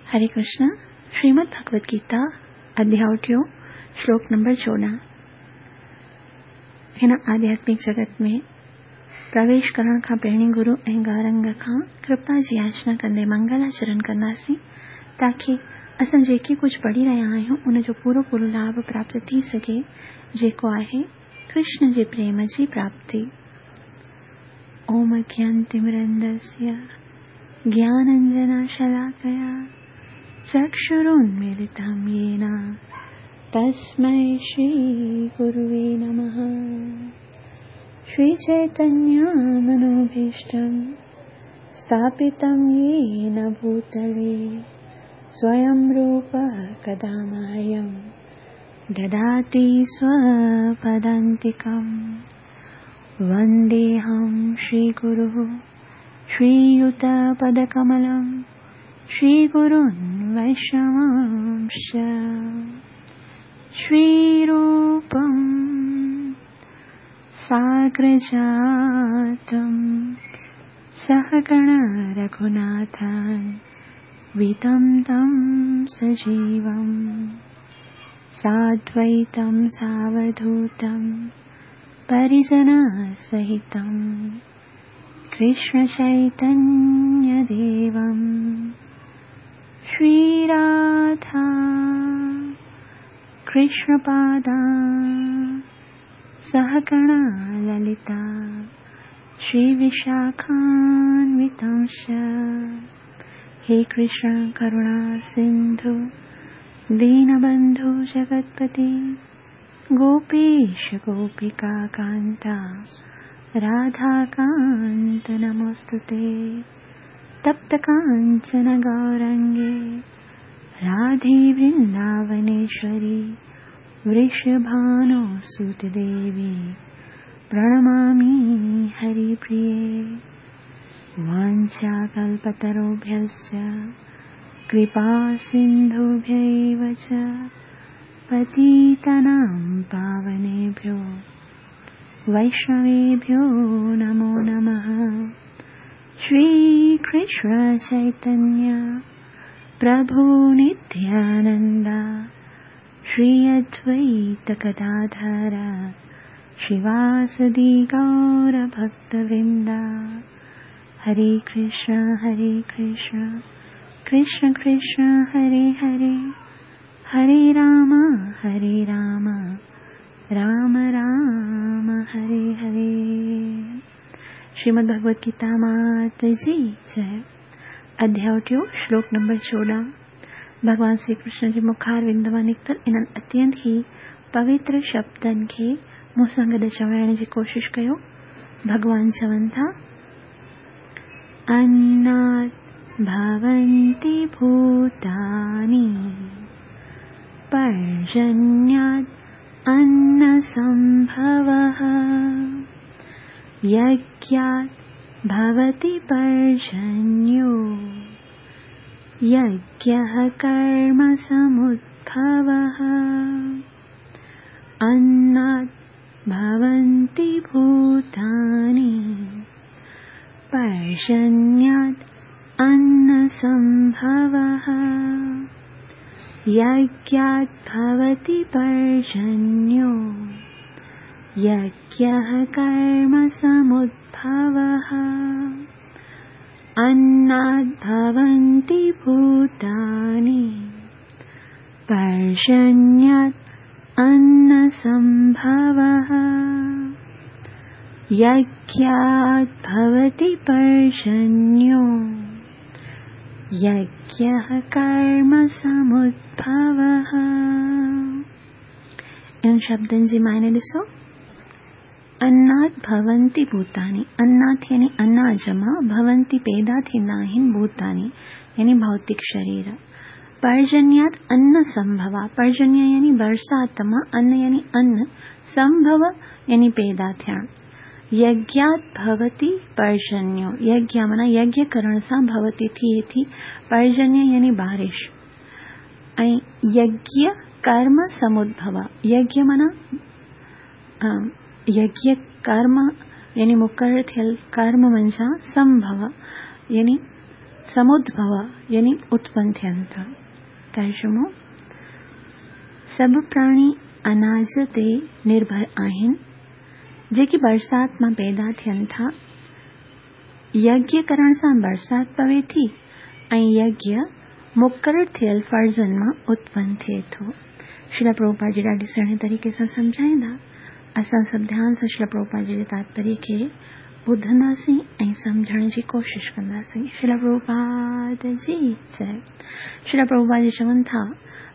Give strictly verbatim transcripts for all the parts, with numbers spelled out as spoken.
हरे कृष्ण। श्रीमद् भगवद गीता अध्याय टियों श्लोक नंबर चोॾहं। हिन आध्यात्मिक जगत में प्रवेश करण खां पहिरीं गुरु ऐं गौरंग खां कृपा जी याचना कंदे मंगलाचरण कंदासीं ताकी असां जेके कुझु पढ़ी रहिया आहियूं उनजो पूरो पूरो लाभ प्राप्त थी सघे, जेको आहे कृष्ण जे प्रेम जी प्राप्ति। ओम अज्ञानतिमिरन्धस्य ज्ञानाञ्जनशलाकया चक्षुरुन्मीलितं येन तस्मै श्रीगुरुवे नमः। श्रीचैतन्यमनोभीष्टं स्थापितं येन भूतले स्वयं रूपः कदा मह्यं ददाति स्वपदान्तिकं। वन्देऽहं श्रीगुरुः श्रीयुतपदकमलं श्रीगुरुन् वैष्णवांश्च। श्रीरूपं साग्रजातं सहगण रघुनाथान् वितं तं सजीवं साद्वैतं सावधूतं परिजनसहितं कृष्णचैतन्यदेवं। श्रीराधा कृष्णपादा सहगणा ललिता श्रीविशाखान्वितांश्च। हे कृष्ण करुणा सिन्धु दीनबन्धु जगत्पते गोपेश गोपिका कान्ता राधाकान्त नमोऽस्तुते। तप्त काञ्चन गौरङ्गे राधे वृन्दावनेश्वरी वृषभानुसुते देवी प्रणमामि हरिप्रिये। वाञ्छाकल्पतरुभ्यश्च कृपा सिन्धुभ्यैव च पतितानां पावनेभ्यो वैष्णवेभ्यो नमो नमः। श्रीकृष्ण चैतन्य प्रभु नित्यानन्द श्री अद्वैत गदाधर श्रीवासदि गौरभक्तवृन्द। हरे कृष्ण हरे कृष्ण कृष्ण कृष्ण हरे हरे, हरे राम हरे राम राम राम हरे हरे। श्रीमद् भगवद गीता मात जी जय। अध्याय टियों श्लोक नंबर चोॾहं। भॻवान श्री कृष्ण जे मुखारविंद मां निकितल इन्हनि अत्यंत ई पवित्र शब्दनि खे मूं सां गॾु चवाइण जी कोशिशि कयो। भॻवान चवनि था, अन्नात् भवन्ति भूतानि पर्जन्यात् अन्नसम्भवः यज्ञात् भवति पर्जन्यो यज्ञः कर्मसमुद्भवः। अन्नात् भवन्ति भूतानि पर्जन्यात् अन्नसम्भवः यज्ञात् भवति पर्जन्यो यज्ञः कर्मसमुद्भवः। अन्नात् भवन्ति भूतानि पर्जन्यात् अन्नसम्भवः यज्ञात् भवति पर्जन्यो यज्ञः कर्मसमुद्भवः। इन्हनि शब्दनि जी मायने ॾिसो। अन्नात् भवन्ति भूतानि, अन्नात् यानी अनाज मां, भवन्ति पैदा थींदा आहिनि भूतानि यानी भौतिक शरीर। पर्जन्यात् अन्न संभवा, पर्जन्य यानी बरसात मां, अन्न यानी अन्न, संभव यानी पैदा थियण। यज्ञात् भवति पर्जन्यो, यज्ञ माना यज्ञ करण सां भवति थिए थी, पर्जन्य यानी बारिश। ऐं यज्ञ कर्म समुद्भव, यज्ञ माना यज्ञ कर्म यानी मुक़ररु थियल कर्म मंझां संभव यानी समुद्भव यानी उत्पन्न थियनि था। तर्जुमो: सभु प्राणी अनाज ते निर्भर आहिनि, जेके बरसात मां पैदा थियनि था। यज्ञ करण सां बरसात पवे थी ऐं यज्ञ मुक़ररु थियल फ़र्ज़नि मां उत्पन्न थिए थो। श्रील प्रभुपाद जी ॾाढे सुहिणे तरीक़े सां सम्झाईंदा। असां सभु ध्यान सां श्रील प्रभुपाद जी जे तात्पर्य खे ॿुधंदासीं ऐं सम्झण जी कोशिश कंदासीं। श्रील प्रभुपाद जी जय। श्रील प्रभुपाद जी चवनि था,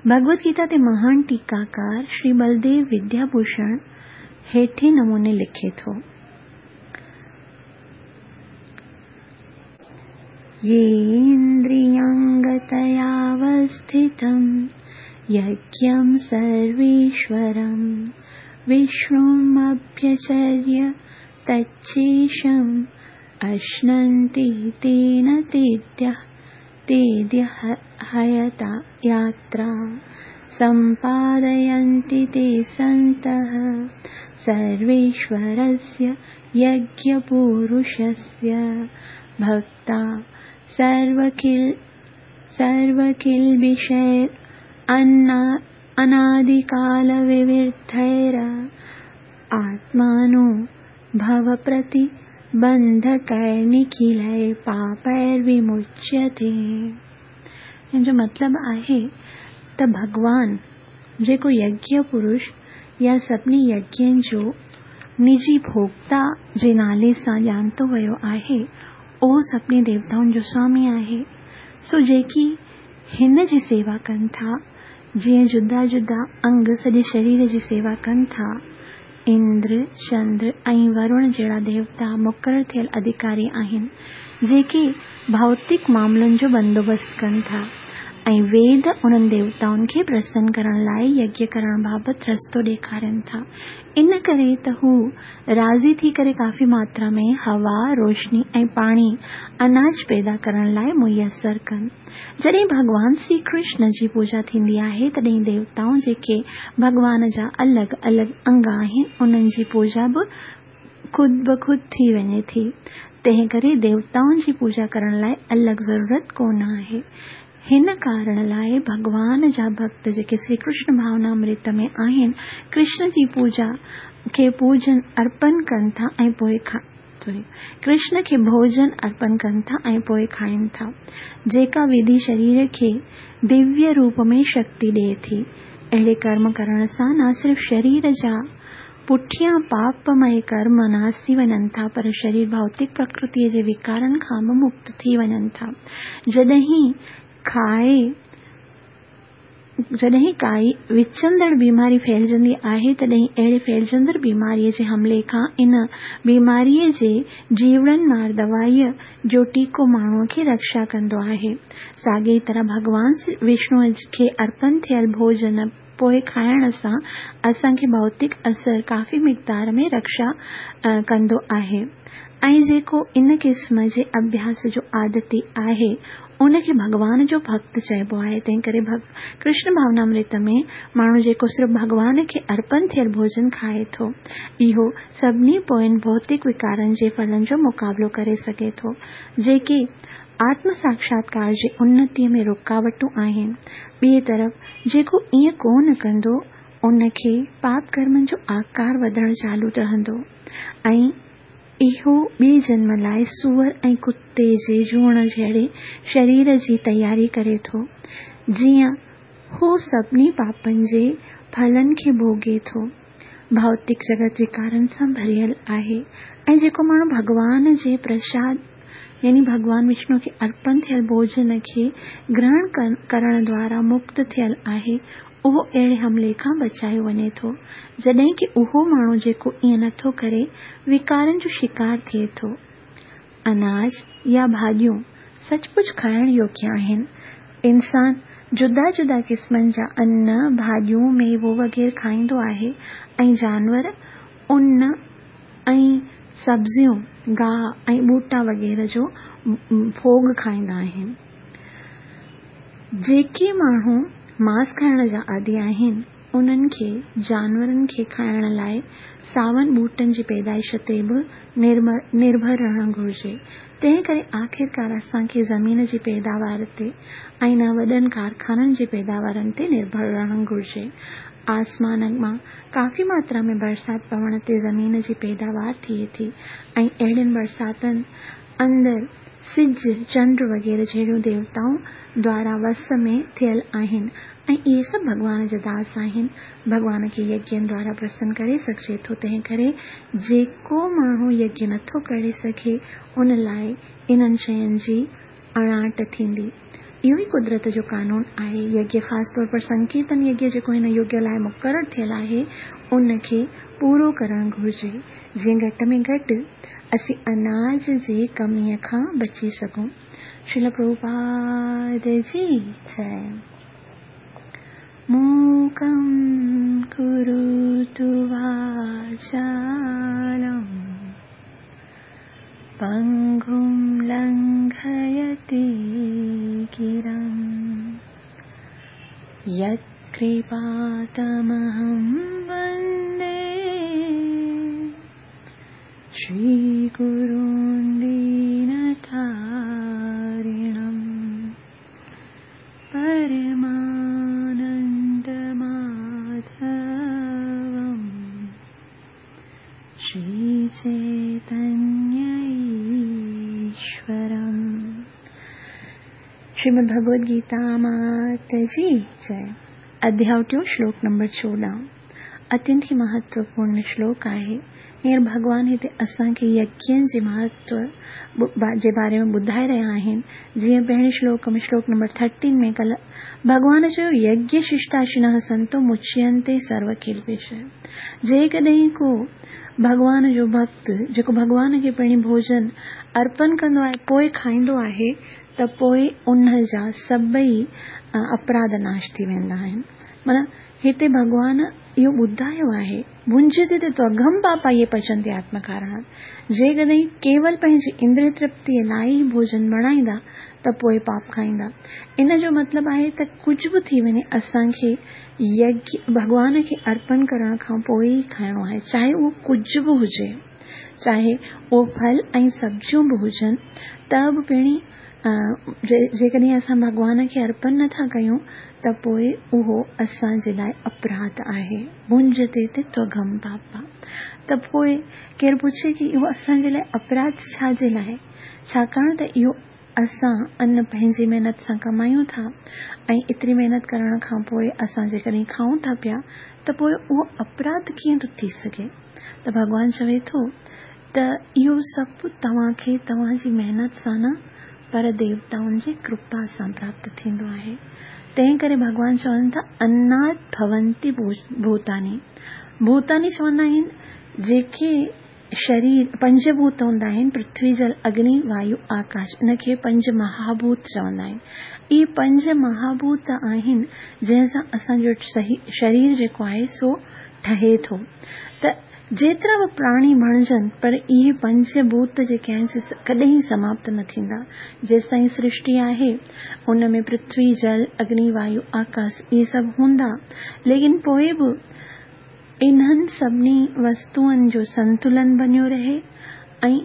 भगवद गीता ते महान टीकाकार श्री बलदेव विद्याभूषण हेठे नमूने लिखे थो। येन्द्रियाङ्गतयावस्थितं यज्ञं सर्वेश्वरं विष्णुमभ्यचर्य तच्चेशम् अश्नन्ति तेन तेद्यः तेद्यः हयता यात्रा सम्पादयन्ति ते सन्तः सर्वेश्वरस्य यज्ञपुरुषस्य भक्ता सर्वकिल सर्वकिल्बिषैर् अनादिकालविविधैर् आत्मानो भवप्रतिबन्धकैर्निखिलैः पापैर्विमुच्यते। हिन जो मतिलबु आहे त भॻवान जेको यज्ञ पुरुष या सभिनी यज्ञनि जो निजी भोक्ता जे नाले सां ॼाणितो वियो आहे, उहो सभिनी देवताउनि जो स्वामी आहे। सो जेकी हिन जी सेवा कनि था, जीअं जुदा जुदा अंग सॼे शरीर जी सेवा कनि था, इंद्र, चंद्र ऐं वरुण जहिड़ा देवता मुक़ररु थियल अधिकारी आहिनि, जेके भौतिक मामलनि जो बंदोबस्तु कनि था ऐं वेद उन्हनि देवताउनि खे प्रसन्न करण लाइ यज्ञ करण बाबति रस्तो ॾेखारनि था। इन करे त हू राज़ी थी करे काफ़ी मात्रा में हवा, रोशनी ऐं पाणी अनाज पैदा करण लाइ मुयसर कनि। जॾहिं भॻवान श्री कृष्ण जी पूजा थींदी आहे, तॾहिं देवताऊं जेके भॻवान जा अलॻि अलॻि अंग आहिनि, उन्हनि जी पूजा बि ख़ुदि ब ख़ुदि थी वञे थी। तंहिं करे देवताउनि जी पूजा करण लाइ अलॻि ज़रूरत कोन आहे। हिन कारण लाइ भॻवान जा भक्त जेके श्री कृष्ण भावनामृत में आहिनि, कृष्ण जी पूजा खे पूजन अर्पण कनि था ऐं पोइ सॉरी कृष्ण खे भोजन अर्पण कनि था ऐं पोइ खाइनि था, जेका विधि शरीर खे दिव्य रूप में शक्ति ॾिए थी। अहिड़े कर्म करण सां न सिर्फ़ शरीर जा पुठियां पापमय कर्म नाश थी वञनि था, पर शरीर भौतिक प्रकृतीअ जे विकारनि खां बि मुक्त थी वञनि था। जॾहिं खाए जॾहिं काई विचंदड़ बीमारी फैलिजंदी आहे, तॾहिं अहिड़े फैलिजंदड़ बीमारीअ जे हमले खां इन बीमारीअ जे जीवड़नि मार दवाईअ जो टीको माण्हूअ खे रक्षा कंदो आहे। साॻी तरह भॻवान विष्णुअ खे अर्पण थियल भोजन पोइ खाइण सां असांखे भौतिक असर काफ़ी मिक़दार में रक्षा कंदो आहे ऐं जेको इन क़िस्म जे अभ्यास जो आदती आहे, उनखे भॻवान जो भक्त चइबो आहे। तंहिं करे कृष्ण भावनामृत में माण्हू जेको सिर्फ़ भॻवान खे अर्पण थियल भोजन खाए थो, इहो सभिनी पोइन भौतिक विकारनि जे फलनि जो मुक़ाबिलो करे सघे थो, जेके आत्म साक्षात्कार जे उन्नतीअ में रुकावटूं आहिनि। ॿिए तरफ़ जेको ईअं कोन कंदो, उनखे पाप कर्मनि जो आकार वधणु चालू रहंदो ऐं इहो ॿिए जन्म लाइ सूअर ऐं कुते जे जूण जहिड़े शरीर जी तयारी करे थो, जीअं हू सभिनी पापनि जे फलनि खे भोगे थो। भौतिक जगत विकारनि सां भरियल आहे ऐं जेको माण्हू भॻवान जे प्रसाद यानी भॻवान विष्णु खे अर्पण थियल भोजन खे ग्रहण करण द्वारा मुक्त थियल आहे, उहो अहिड़े हमले खां बचायो वञे थो, जॾहिं की उहो माण्हू जेको ईअं नथो करे, विकारनि जो शिकार थिए थो। अनाज या भाॼियूं सचमुच खाइण योग्य आहिनि। इंसान जुदा जुदा क़िस्मनि जा अन्न, भाॼियूं, मेवो वग़ैरह खाईंदो आहे ऐं जानवर उन ऐं सब्ज़ियूं, गाह ऐं ॿूटा वग़ैरह जो भोग खाईंदा आहिनि। जेके माण्हू मांस खाइण जा आदी आहिनि, انهن کي جانورن کي کائڻ لاءِ ساون ٻوٽن جي پيدائش تي به نرڀر رهڻ گهرجي. تنهن ڪري آخرڪار اسان کي زمين جي پيداوار تي ۽ نه وڏن ڪارخانن جي پيداوارن تي نرڀر رهڻ گهرجي. آسمان مان ڪافي ماترا ۾ برسات پوڻ تي زمين جي پيداوار ٿئي ٿي ۽ اهڙين برساتن اندر سج، چنڊ وغيره جهڙيون ديوتائون دوارا وس ۾ ٿيل آهن ۽ اهي سڀ ڀڳوان جا داس آهن. ڀڳوان کي يگين دوارا پرسن ڪري سگهجي ٿو. تنهن ڪري جيڪو ماڻهو يگيه نٿو ڪري سگهي ان لاءِ انهن شين جي اڻاٽ ٿيندي. اهو ئي قدرت جو قانون آهي. يگيه خاص طور پر سنڪيرتن يگيه جيڪو هن يگ لاءِ مقرر ٿيل آهي ان کي پورو ڪرڻ گهرجي، جيئن گهٽ ۾ گهٽ اسين اناج جي ڪميءَ کان بچي سگهون. شريل پرڀوپاد جي جئي. موڪم ڪروتु واچالم پنگم لنگهيتي گرم यत्कृपातमहं वन्दे श्रीगुरुं दीनतारिणं परमानन्दमाधवं श्रीचैतन्यईश्वरम्. श्रीमद् भगवद गीता मात जी जय. अध्याय टियों, श्लोक नंबर चोॾहं. अत्यंत ई महत्वपूर्ण श्लोक आहे. हींअर भॻवान हिते असांखे यज्ञनि जे महत्व जे बारे में ॿुधाए रहिया आहिनि. जीअं पहिरीं श्लोक में, श्लोक नंबर थर्टीन में कल्ह भॻवान चयो, यज्ञ शिष्टाशिनः संतो मुच्यन्ते सर्व किल्बिषः. जेकॾहिं को भॻवान जो भक्त जेको भॻवान खे पहिरीं भोजन अर्पण कंदो आहे पोइ खाईंदो आहे त पोइ उन जा सभई अपराध नाश थी वेंदा आहिनि. माना हिते भॻवान इहो ॿुधायो आहे, भुंजते ते त्वघम पापा इहे पचंदी आत्मकारणात्. जेकॾहिं केवल पंहिंजी इंद्रिय तृप्तीअ लाइ ई भोजन बणाईंदा त पोइ पाप खाईंदा. इन जो मतिलबु आहे त कुझु बि थी वञे असांखे यज्ञ भॻवान खे अर्पण करण खां पोइ ई खाइणो आहे, चाहे उहो कुझु बि हुजे, चाहे उहो फल ऐं सब्जियूं बि हुजनि त बि पहिरीं जेकॾहिं असां भॻवान खे अर्पण नथा कयूं त पोइ उहो असांजे लाइ अपराध आहे. भुंजते ते त्वघम पापा. त पोइ केरु पुछे की इहो असांजे लाइ अपराध छाजे लाइ? छाकाणि त इहो असां अन पंहिंजी महिनत सां कमायूं था ऐं एतिरी महिनत करण खां पोइ असां जेकॾहिं खाऊं था पिया त पोइ उहो अपराध कीअं थो थी सघे? त भॻवान चवे थो त इहो सभु तव्हांखे तव्हांजी महिनत सां न पर देवताउनि जी कृपा सां प्राप्त थींदो आहे. तंहिं करे भॻवान चवनि था अन्नात् भवन्ति भूतानि. भूतानि चवंदा आहिनि जेके शरीर पंजभूत हूंदा आहिनि, पृथ्वी, जल, अग्नि, वायु, आकाश, इनखे पंज महाभूत चवंदा आहिनि. इहे पंज महाभूत आहिनि जंहिंसां असांजो शरीर जेको आहे सो ठहे थो. त जेतिरा बि प्राणी बणिजनि पर इहे पंचभूत जेके आहिनि से कॾहिं समाप्त न थींदा. जेसिताईं सृष्टि आहे उन में पृथ्वी, जल, अग्नि, वायु, आकाश इहे सभु हूंदा, लेकिन पोइ बि इन्हनि सभिनी वस्तुअनि जो संतुलन बणियो रहे ऐं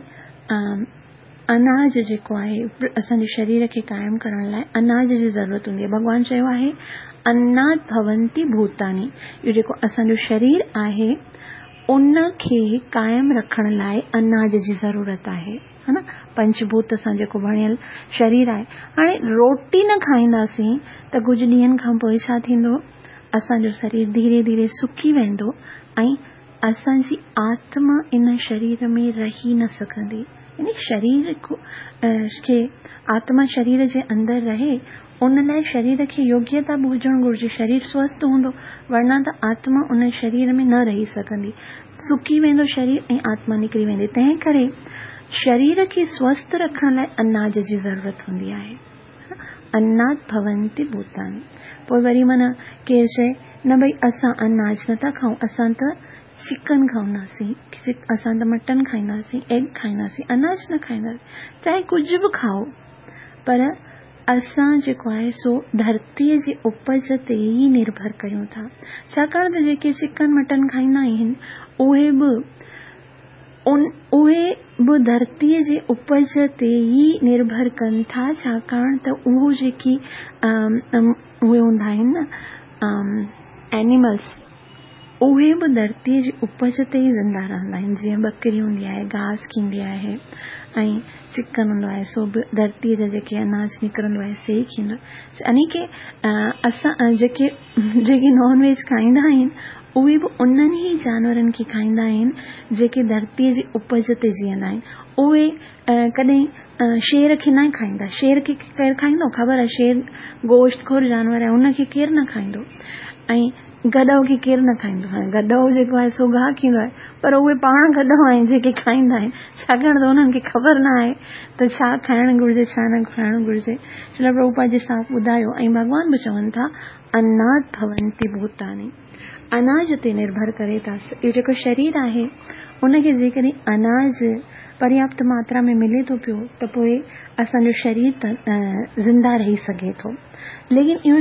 अनाज जेको आहे असांजे शरीर खे क़ाइमु करण लाइ अनाज जी ज़रूरत हूंदी आहे. भॻवान चयो आहे अन्नात् भवन्ति भूतानि. इहो जेको असांजो शरीर आहे उनखे क़ाइमु रखण लाइ अनाज जी ज़रूरत आहे, हा न. पंचभूत सां जेको बणियल शरीर आहे. हाणे रोटी न खाईंदासीं त कुझु ॾींहंनि खां पोइ छा थींदो? असांजो शरीर धीरे धीरे सुकी वेंदो ऐं असांजी आत्मा इन शरीर में रही न सघंदी. यानी शरीर खे आत्मा शरीर जे अंदरि रहे उन लाइ शरीर खे योग्यता बि हुजणु घुरिजे. शरीर स्वस्थ हूंदो वरना त आत्मा उन शरीर में न रही सघंदी. सुकी वेंदो शरीर ऐं आत्मा निकिरी वेंदी. तंहिं करे शरीर खे स्वस्थ रखण लाइ अनाज जी ज़रूरत हूंदी आहे. अन्नात् भवन्ति भूतानि. पोइ वरी माना केरु चए न भई असां अनाज नथा खाऊं, असां त चिकन खाईंदासीं, असां त मटन खाईंदासीं, एग खाईंदासीं, अनाज न खाईंदासीं. चाहे कुझु बि खाओ पर اسان جيڪو آهي سو ڌرتيءَ جي اپج تي ئي نرڀر ڪريون ٿا. ڇاڪاڻ ته جيڪي چڪن مٽن کائيندا آهن اهي به ان اهي به ڌرتيءَ جي اپج تي ئي نرڀر ڪن ٿا. ڇاڪاڻ ته اهو جيڪي اهي هوندا آهن نه اينيملس، اهي به ڌرتيءَ جي اپج تي ئي زنده رهندا آهن. جيئن ٻڪري هوندي آهي گهاس کيندي آهي ۽ چڪن هوندو آهي سو به ڌرتيءَ جا جيڪي اناج نڪرندو آهي سي ئي کيندو آهي. يعني ڪه اسان جيڪي جيڪي نان ويج کائيندا آهن اهي به انهن ئي جانورن کي کائيندا آهن جيڪي ڌرتيءَ جي اپج تي جيئندا آهن. اهي ڪڏهن شير کي نه کائيندا. شير کي ڪير کائيندو؟ خبر آهي شير گوشت خور جانور آهي، ان کي ڪير نه کائيندو. ۽ گڏو کي ڪير نه کائيندو. هاڻي گڏو جيڪو آهي سو گاهه کيندو آهي، پر اهي پاڻ گڏو آهن جيڪي کائيندا آهن، ڇاڪاڻ ته انهن کي خبر نه آهي ته ڇا کائڻ گهرجي ڇا نه کائڻ گهرجي. شريل پرڀوپاد جي صاف ٻڌايو ۽ ڀڳوان به چون ٿا اناد ڀونتي ڀوتاني، اناج تي نرڀر ڪري ٿا. اهو جيڪو شرير آهي ان کي جيڪڏهن اناج پرياپت ماترا ۾ ملي ٿو پيو ته پوءِ اسان جو شرير ته زنده رهي سگهي ٿو. ليڪن اهو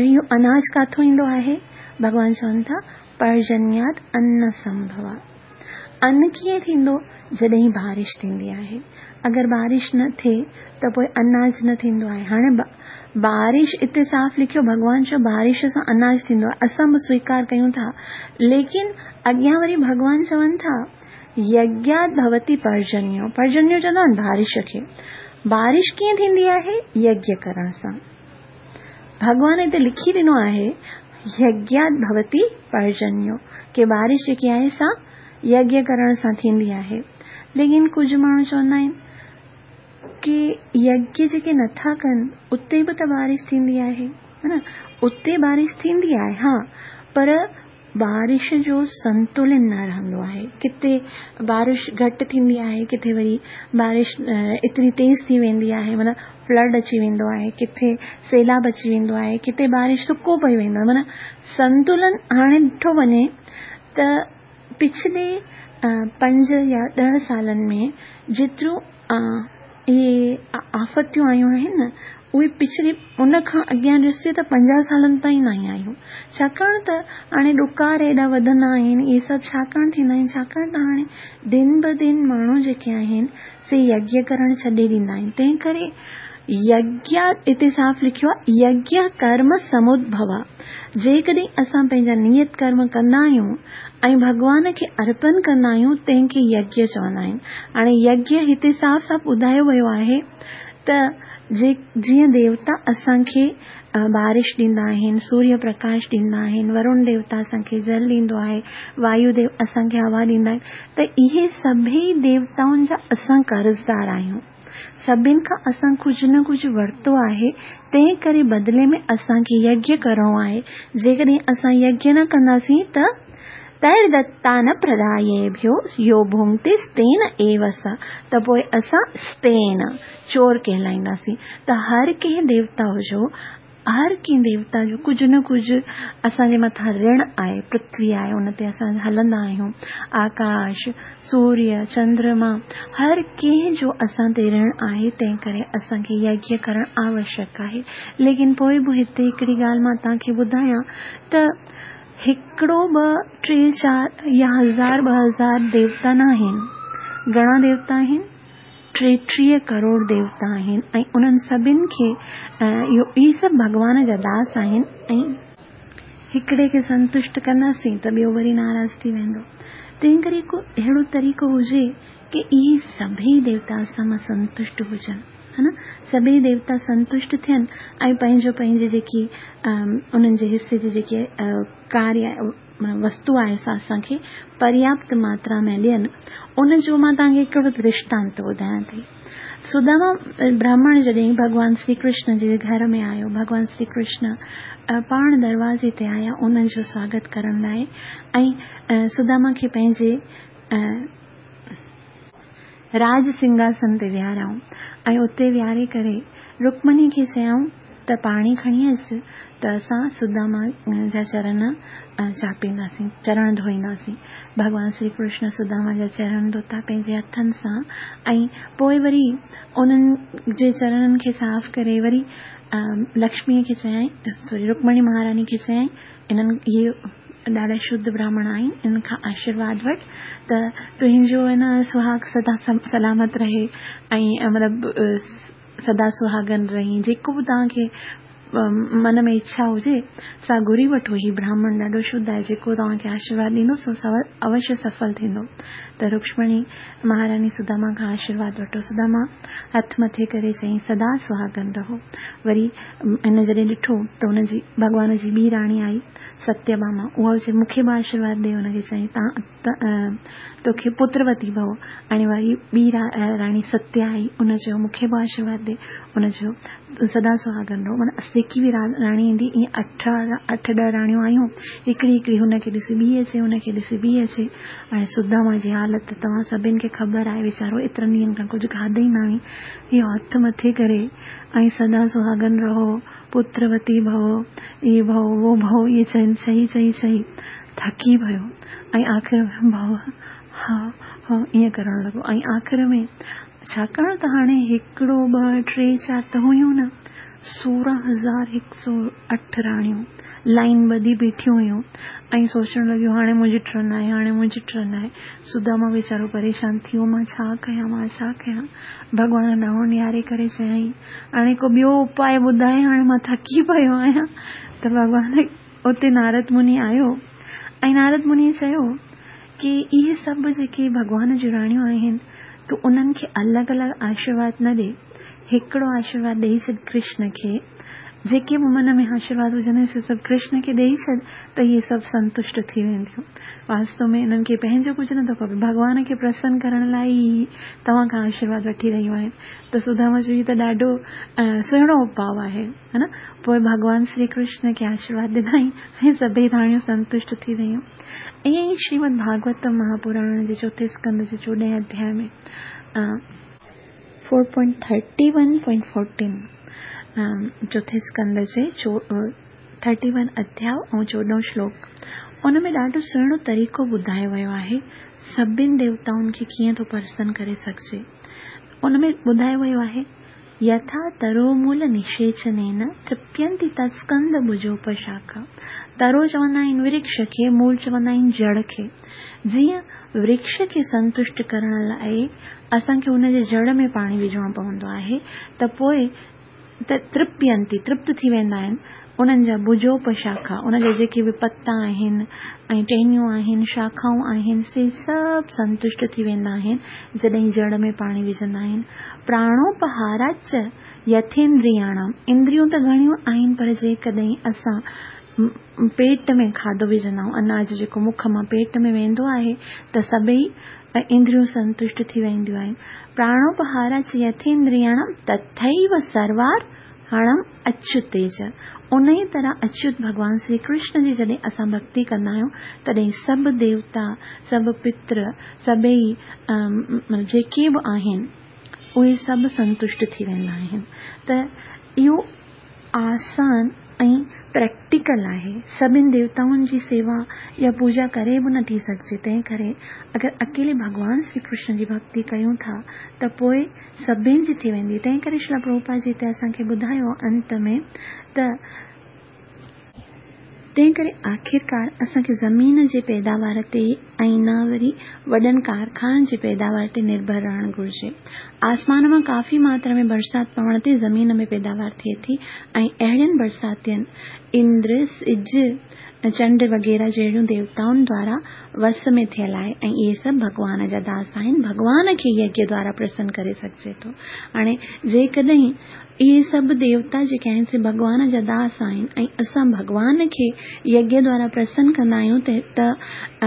اهو اناج ڪاٿو ايندو آهي؟ ڀڳوان چون ٿا پرجنيات ان سنڀوا. ان ڪيئن ٿيندو؟ جڏهن بارش ٿيندي آهي. اگر بارش نه ٿئي ته پوءِ اناج نه ٿيندو آهي. هاڻي بارش هتي صاف لکيو ڀڳوان چيو بارش سان اناج ٿيندو آهي، اسان به سويڪار ڪيون ٿا. ليڪن اڳيان وري ڀڳوان چون ٿا يگيات ڀوتي پرجنيو. پرجنيو چوندا آهن بارش کي. بارش ڪيئن ٿيندي آهي؟ يگيه ڪرڻ سان. ڀڳوان هتي لکي ڏنو آهي يگيات ڀوتي پرجنيو ڪه بارش جيڪي آهي سا يگيه ڪرڻ سان ٿيندي آهي. ليڪن ڪجهه ماڻهو چوندا آهن ڪه يگيه جيڪي نٿا ڪن اتي به ته بارش ٿيندي آهي، ها نه؟ اتي بارش ٿيندي آهي ها، پر بارش جو سنتلن نه رهندو آهي. ڪٿي بارش گهٽ ٿيندي آهي، ڪٿي وري بارش ايتري تيز ٿي ويندي آهي معنيٰ فلڊ اچي ويندو آهي، ڪٿي سيلاب اچي ويندو آهي، ڪٿي بارش سڪو پئي ويندو آهي. معنيٰ سنتلن هاڻي ڏٺو وڃي ته پڇلي پنج يا ڏهه سالن ۾ جيتريون اهي آفتيون آيون آهن نه، اهي پڇلي ان کان اڳيان ڏسجي ته پنجاهه سالن تائين نه آيون. ڇاڪاڻ ته هاڻي ڏڪار ايڏا وڌندا آهن، اهي سڀ ڇاڪاڻ ٿيندا آهن؟ ڇاڪاڻ ته هاڻي دن به دن ماڻهو جيڪي آهن سي يگيه ڪرڻ ڇڏي ڏيندا آهن. تنهن ڪري يگيه هتي صاف لکيو آهي يگيه ڪرم سمدڀوا. جيڪڏهن اسان پنهنجا نيت ڪرم ڪندا آهيون ۽ ڀڳوان کي ارپڻ ڪندا آهيون تنهن کي يگيه چوندا آهن. هاڻي يگيه هتي صاف صاف ٻڌايو ويو آهي ته جي جيئن ديوتا اسان کي بارش ڏيندا آهن، سوريه پرڪاش ڏيندا آهن، ورڻ ديوتا اسان کي جل ڏيندو آهي، وايو ديو اسان کي هوا ڏيندا آهن، ته اهي سڀئي ديوتائن جا اسان قرضدار آهيون. سڀني کان اسان ڪجهه نه ڪجهه ورتو آهي، تنهن ڪري بدلي ۾ اسان کي يگيه ڪرڻو آهي. جيڪڏهن اسان يگيه نه ڪنداسين ته تيردتان پرداييڀيو يو ڀونگتي ستين ايو س، ته پوءِ اسان ستين چور ڪهلائينداسين. ته هر ڪنهن ديوتا جو هر ڪنهن ديوتا جو ڪجهه نه ڪجهه اسان جي مٿان رڻ آهي. پرٿوي آهي ان تي اسان هلندا آهيون، آڪاش، سوريه، چندرما، هر ڪنهن جو اسان تي رڻ آهي. تنهن ڪري اسان کي يگيه ڪرڻ آوشيڪ آهي. ليڪن پوءِ به هتي هڪڙي ڳالهه مان توهان کي ٻڌايان ته هڪڙو ٻه ٽي چار يا هزار ٻه هزار ديوتا نه آهن. گهڻا ديوتا آهن؟ ٽيٽيهه ڪروڙ ديوتا آهن ۽ انهن سڀني کي اهو اهي سڀ ڀڳوان جا داس آهن. ۽ هڪڙي کي سنتشٽ ڪنداسين ته ٻيو وري ناراض ٿي ويندو. تنهن ڪري ڪو اهڙو طريقو هجي ڪه اهي سڀئي ديوتا اسان مان سنتشٽ هجن، ها نه؟ سڀئي ديوتا سنتشٽ ٿين ۽ پنهنجو پنهنجي جيڪي انهن جي حصي جي جيڪي ڪاريه وستو آهي سا اسان کي پرياپت ماترا ۾ ڏين. ان جو مان توهان کي هڪڙو درشٽانت ٻڌايان ٿي. سداما براهمڻ جڏهن ڀڳوان شري ڪرشن جي گهر ۾ آيو، ڀڳوان شري ڪرشن پاڻ دروازي تي آيا انهن جو سواگت ڪرڻ لاءِ ۽ سداما کي پنهنجي راج سنگهاسن تي ويهاريائون ۽ اتي ويهاري ڪري رڪمڻي کي چيائون ته پاڻي کڻي اچ ته اسان سداما جا چرڻ چاپينداسين، چرڻ ڌوئينداسين. ڀڳوان شري ڪرشن سداما جا چرڻ ڌوتا پنهنجي هٿن سان ۽ پوءِ وري انهن جي چرڻن کي صاف ڪري وري لڪشميءَ کي چيائين، سوري رڪمڻي مهاراڻي کي چيائين، انهن اهي ڏاڍا شڌ براهمڻ آهن، انهن کان آشيرواد وٺ ته تنهنجو آهي نه سهاڳ سدا سلامت رهي ۽ مطلب سدا سهاڳن رهين، جيڪو به توهان کي من ۾ اڇا هجي سا گهري وٺو، هي براهمڻ ڏاڍو شڌ آهي، جيڪو توهان کي آشيرواد ڏيندو سو اوشيه سڦل ٿيندو. ته رڪشمڻي مهاراڻي سداما کان آشيرواد ورتو. سداما هٿ مٿي ڪري چيائين سدا سهاڳن رهو. وري هن جڏهن ڏٺو ته هن جي ڀڳوان جي ٻي راڻي آئي ستيڀاما، اها چئي مون کي به آشيرواد ڏي. هن کي چيائين تان توکي پتروتي ڀو. هاڻي وري ٻي راڻي ستيا آئي، ان چيو مون کي به آشيرواد ڏي. هن چيو سدا سهاڳن رهو. معنيٰ جيڪي به راڻي ايندي ائين اٺ اٺ ڏهه راڻيون آيون، هڪڙي هڪڙي هن کي ڏسي ٻي اچي، هن کي ڏسي ٻي اچي. هاڻي سداما جي حالت توهان سڀني کي خبر آهي، ويچارو ايترن ڏينهن کان ڪجهه کاڌو ئي نه هئي. اهو هٿ مٿي ڪري ۽ سدا سهاڳن رهو، پتروتي ڀو، اي ڀو وو ڀو، اهي چئي چئي چئي چئي ٿڪي پيو ۽ آخر ۾ ڀو ها ها ائين ڪرڻ لڳو. ۽ آخر ۾ ڇاڪاڻ ته هاڻي هڪڙو ٻه ٽي چار ته هيون نه، سورهن هزار هڪ سؤ اٺ راڻيون لائن ٻڌي بيٺيون هيون ۽ سوچڻ لڳيون هاڻي منهنجي ٽرن آهي، هاڻي منهنجي ٽرن آهي. سداما ويچارو پريشان ٿي ويو، مان ڇا ڪيان مان ڇا ڪيان. ڀڳوان ڏانهن نهاري ڪري چيائين هاڻي ڪو ٻيو اپاءُ ٻڌائي، هاڻي مان ٿڪي پيو آهيان. ته ڀڳوان اتي نارد مني آيو ۽ نارد مني چيو ڪه اهي سڀ جيڪي ڀڳوان جون راڻيون آهن تون انهن کي الڳ الڳ آشيرواد نه ڏي، هڪڙو آشيرواد ڏيئي ڇڏ ڪرشن کي، جيڪي به من ۾ آشيرواد هجن سي سڀ ڪرشن کي ڏيئي ڇڏ ته اهي سڀ سنتشٽ ٿي وينديون. واستو ۾ انهن کي پنهنجو ڪجهه نٿو کپي، ڀڳوان کي پرسن ڪرڻ لاءِ ئي توهان کان آشيرواد وٺي رهيون آهن. ته سداما چيو هي ته ڏاڍو سهڻو اپاءُ آهي ها نه. پوءِ ڀڳوان شري ڪرشن کي آشيرواد ڏنائين ۽ سڀئي راڻيون سنتشٽ ٿي ويون. ائين ئي شريمد ڀاڳوتم مهاپراڻ جي چوٿين اسڪنڌ جي چوڏهين اڌياءِ ۾ four point thirty one point fourteen چوٿين اسڪنڌ جي ٿرٽي ون اڌياءُ ۽ چوڏهون شلوڪ، ان ۾ ڏاڍو سهڻو طريقو ٻڌايو ويو آهي سڀني ديوتائن کي ڪيئن ٿو پرسن ڪري سگهجي. ان ۾ ٻڌايو ويو آهي يٿا ترومول نشيچنين ترپينتي تتسڪند ڀجوپشاکا. ترو چوندا آهن ورڪش کي، مول چوندا آهن جڙ کي. جيئن ورڪش کي سنتشٽ ڪرڻ لاءِ اسان کي هن جي جڙ ۾ پاڻي وجهڻو پوندو آهي ته پوءِ ترپينتي ترپت ٿي ويندا آهن انهن جا ڀجوپشاکا، ان جا جيڪي به پتا آهن ۽ ٽهنيون آهن، شاکائون آهن، سي سڀ سنتشٽ ٿي ويندا آهن جڏهن جڙ ۾ پاڻي وجهندا آهن. پراڻوپهاراچ يٿيندرياڻام، اندريون ته گهڻيون آهن پر جيڪڏهن اسان پيٽ ۾ کاڌو وجهندا آهيون، اناج جيڪو مک مان پيٽ ۾ ويندو آهي ته سڀئي اندريون سنتشٽ ٿي وينديون آهن. پراڻوپهاراچ يٿيندرياڻام تٿيو سروار هڻم اچيوتيج. ان ئي طرح اچيوت ڀڳوان شري ڪرشن جي جڏهن اسان ڀڪتي ڪندا آهيون تڏهن سڀ ديوتا، سڀ پتر، سڀئي جيڪي به آهن اهي سڀ سنتشٽ ٿي ويندا آهن. ته اهو آسان ۽ پريڪٽيڪل آهي. سڀني ديوتائن جي سيوا يا پوڄا ڪري به نٿي سگهجي، تنهن ڪري اگر اڪيلي ڀڳوان شري ڪرشن جي ڀڪتي ڪيون ٿا ته پوءِ سڀني جي ٿي ويندي. تنهن ڪري شريلا پرڀوپاد جي هتي اسان کي ٻڌايو انت ۾ ته تنهن ڪري آخرڪار اسان کي زمين جي پيداوار تي ۽ نه وري وڏن ڪارخانن جي پيداوار تي نرڀر رهڻ گهرجي. آسمان مان ڪافي ماترا ۾ برسات پوڻ تي زمين ۾ پيداوار ٿئي ٿي ۽ اهڙين برساتين اندر، سج، چنڊ وغيره جهڙيون ديوتائن دوارا وس ۾ ٿيل آهي ۽ اهي سڀ ڀڳوان جا داس آهن. ڀڳوان کي يگيه دوارا پرسن ڪري سگهجي ٿو. هاڻي جيڪڏهن اهي سڀ ديوتا جيڪي آهن سي ڀڳوان جا داس آهن ۽ اسان ڀڳوان کي يگيه دوارا پرسن ڪندا آهيون ته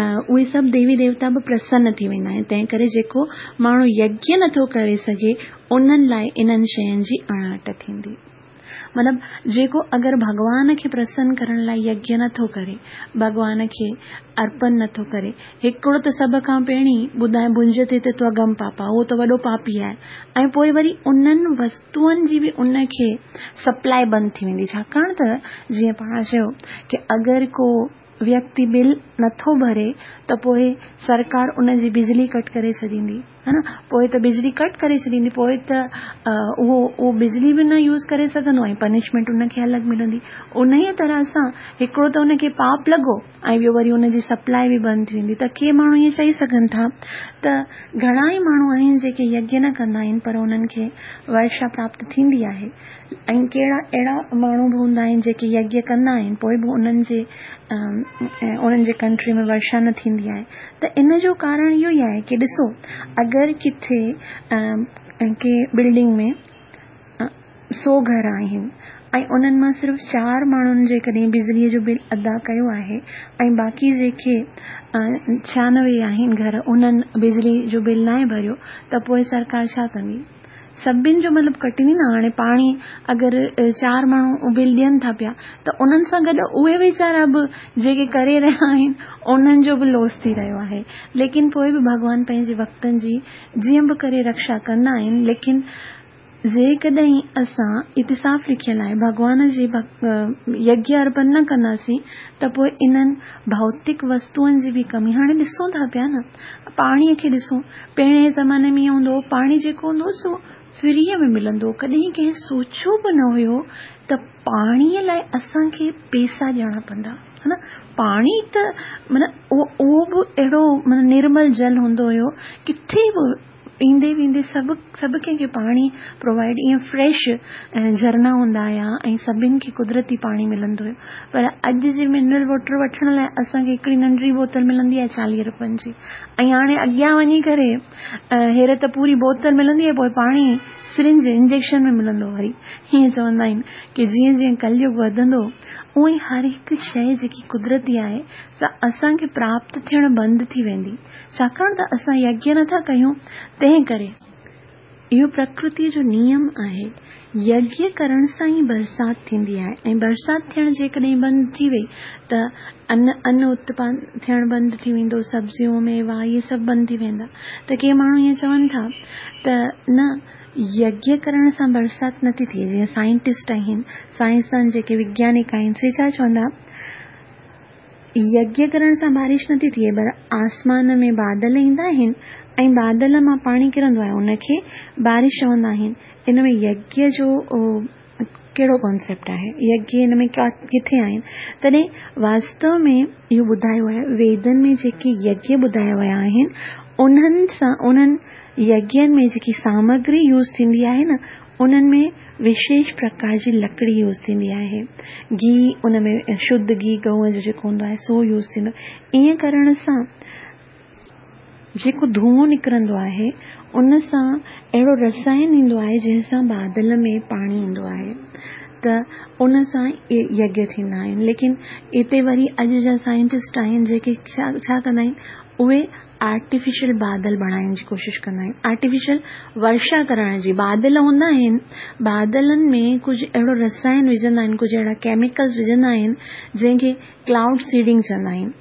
اهي سڀ ديوي ديوتا به پرسن ٿي ويندا آهن. تنهن ڪري جيڪو ماڻهو يگيه نٿو ڪري سگهي انهن لاءِ انهن شين جي اڻاٺ ٿيندي. مطلب جيڪو اگر ڀڳوان کي پرسن ڪرڻ لاءِ يگيه نٿو ڪري، ڀڳوان کي ارپڻ نٿو ڪري، هڪڙو ته سڀ کان پهرين ٻڌائي ڀنجتي تي تواگم پاپا، اهو ته وڏو پاپي آهي، ۽ پوءِ وري انهن وستوئن جي به ان کي سپلائي بند ٿي ويندي. ڇاڪاڻ ته جيئن پاڻ چيو ڪه اگر ڪو ويڪتي بل نٿو ڀري ته پوءِ سرڪار ان جي بجلي ڪٽ ڪري ڇڏيندي، ها نه، پوءِ ته بجلي ڪٽ ڪري ڇڏيندي، پوءِ ته اهو اهو بجلي به نه يوز ڪري سگهندو ۽ پنشمينٽ ان کي الڳ ملندي. ان ئي طرح سان هڪڙو ته ان کي پاپ لڳو ۽ ٻيو وري ان جي سپلائي به بند ٿي ويندي. ته ڪي ماڻهو ائين چئي سگهن ٿا ته گهڻا ئي ماڻهو آهن جيڪي يگيه نه ڪندا آهن پر انهن کي ورشا پراپت ٿيندي آهي، ۽ ڪهڙا اهڙا ماڻهو به هوندا آهن جيڪي يگيه ڪندا آهن پوءِ به انهن جي انهن جي ڪنٽري ۾ ورشا نه ٿيندي آهي. ته ان جو ڪارڻ اهو ئي آهي ڪه ڏسو اگر ڪٿي ڪنهن بلڊنگ ۾ سؤ گهر آهن ۽ انهن مان صرف چار ماڻهن جيڪڏهن بجليءَ جو بل ادا ڪيو آهي ۽ باقي جيڪي ڇهانوي آهن گهر انهن بجلي جو بل ناهي ڀريو ته پوءِ سرڪار ڇا ڪندي؟ سڀني جو مطلب ڪٽيندي نه. هاڻي پاڻي اگر چار ماڻهو بل ڏين ٿا پيا ته انهن سان گڏ اهي ويچارا به جيڪي ڪري رهيا آهن انهن جو به لاس ٿي رهيو آهي. ليڪن پوءِ به ڀڳوان پنهنجي ڀڪتن جي جيئن به ڪري رڪشا ڪندا آهن. ليڪن جيڪڏهن اسان هتي صاف لکيل آهي ڀڳوان جي يگيه ارپڻ نه ڪنداسين ته پوءِ انهن ڀوتڪ وستوئن جي به ڪمي. هاڻي ڏسون ٿا پيا نه، پاڻيءَ کي ڏسون، پهرين جي زماني ۾ ائين هوندو هو پاڻي جيڪو هوندو هو سو فريءَ ۾ ملندو هو، ڪڏهن ڪنهن سوچيو به نه هيو ته پاڻيءَ لاءِ اسان کي پئسا ڏيڻا پوندا، ها نه. پاڻي ته معنيٰ اهو به اهڙو معنيٰ نرمل جل هوندو هيو، ڪٿي به ايندي ويندي سڀ سڀ ڪنهن کي پاڻي پرووائيڊ، ائين فريش جهرنا هوندا هئا ۽ سڀني کي قدرتي پاڻي ملندو هيو. پر اڄ جي منرل واٽر وٺڻ لاءِ اسان کي هڪڙي ننڍڙي بوتل ملندي آهي چاليهه رپين جي، ۽ هاڻي اڳيان وڃي ڪري هير ته پوري بوتل ملندي آهي، پوءِ پاڻي سرنج انجيڪشن ۾ ملندو. وري هيئن چوندا آهن ڪه جيئن جيئن ڪليگ وڌندو اونئن ئي هر هڪ شيءِ جيڪي قدرتي آهي سا اسان کي پراپت ٿيڻ بند ٿي ويندي، ڇاڪاڻ ته اسان يگيه نٿا ڪيون. تنهن ڪري اهو پرڪرتيءَ جو نيم آهي، يگيه ڪرڻ سان ئي برسات ٿيندي آهي، ۽ برسات ٿيڻ جيڪڏهن بند ٿي وئي ته ان ان اتپن ٿيڻ بند ٿي ويندو، سبزيون ميوا اهي سڀ بند ٿي ويندا. ته ڪي ماڻهو ائين چون ٿا ته نه يگيه ڪرڻ سان برسات نٿي ٿئي. جيئن سائنٽسٽ آهن، سائنسدان جيڪي وگيانڪ آهن سي ڇا چوندا، يگيه ڪرڻ سان بارش نٿي ٿئي، پر آسمان ۾ بادل ايندا آهن ۽ بادل مان پاڻي ڪرندو آهي، ان کي بارش چوندا آهن. ان ۾ يگيه جو ڪهڙو ڪانسيپٽ آهي؟ يگيه ان ۾ ڪٿي آهن؟ تڏهن واستو ۾ اهو ٻڌايو آهي ويدن ۾ جيڪي يگيه ٻڌايا ويا آهن انهن سان انهن يگين ۾ جيڪي سامگري يوز ٿيندي آهي نه انهن ۾ وشيش پرڪار جي لڪڙي يوز ٿيندي آهي، گيهه ان ۾ شڌ گيهه گئونءَ جو جيڪو هوندو آهي سو يوز ٿيندو آهي. ائين ڪرڻ سان جيڪو ڌوئو نڪرندو آهي ان سان اهڙو رسائن ايندو آهي جنهن سان بادل ۾ پاڻي ايندو آهي، ته ان سان يگيه ٿيندا آهن. ليڪن هتي وري اڄ جا سائنٽسٽ آهن جيڪي ڇا ڪندا آهن، اهي آرٽيفيشل بادل بڻائڻ جي ڪوشش ڪندا آهن، آرٽيفيشل ورشا ڪرڻ جي. بادل هوندا آهن، بادلن ۾ ڪجهه اهڙو رسائن وجهندا آهن، ڪجهه اهڙا ڪيميڪلس وجهندا آهن جنهن کي ڪلائوڊ سيڊنگ چوندا آهن.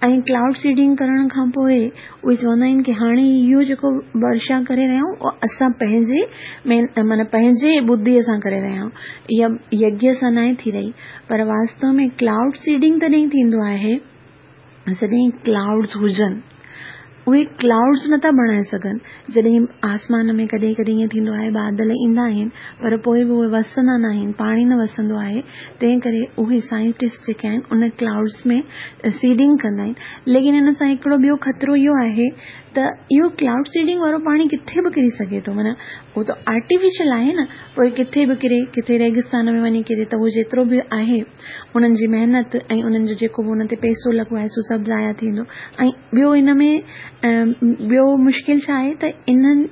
۽ ڪلائوڊ سيڊنگ ڪرڻ کان پوءِ اهي چوندا آهن ڪه هاڻي اهو جيڪو ورشا ڪري رهيا آهيون اهو اسان پنهنجي معنيٰ پنهنجي ٻڌيءَ سان ڪري رهيا آهيون، اها يگيه سان ناهي ٿي رهي. پر واستو ۾ ڪلائوڊ سيڊنگ تڏهن ٿيندو آهي جڏهن ڪلائوڊس هجن. اهي ڪلائوڊس نٿا بڻائي سگهن. جڏهن آسمان ۾ ڪڏهن ڪڏهن ائين ٿيندو آهي بادل ايندا آهن پر پوءِ به اهي وسندا نه آهن، پاڻي نه وسندو آهي، تنهن ڪري اهي سائنٽسٽ جيڪي آهن ان ڪلائوڊس ۾ سيڊنگ ڪندا آهن. ليڪن ان سان هڪڙو ٻيو خطرو اهو آهي ته اهو ڪلائوڊ سيڊنگ وارو پاڻي ڪٿي به ڪري سگهي ٿو، معنيٰ اهو ته آرٽيفيشل آهي نه، پوءِ ڪٿي به ڪري، ڪٿي ريگستان ۾ وڃي ڪري ته اهو جيترو به آهي انهن جي محنت ۽ انهن جو جيڪو به ان تي پئسو لڳو آهي سو سڀ ضايع ٿيندو. ۽ ٻيو ان ۾ ٻيو مشڪل ڇا آهي ته انهن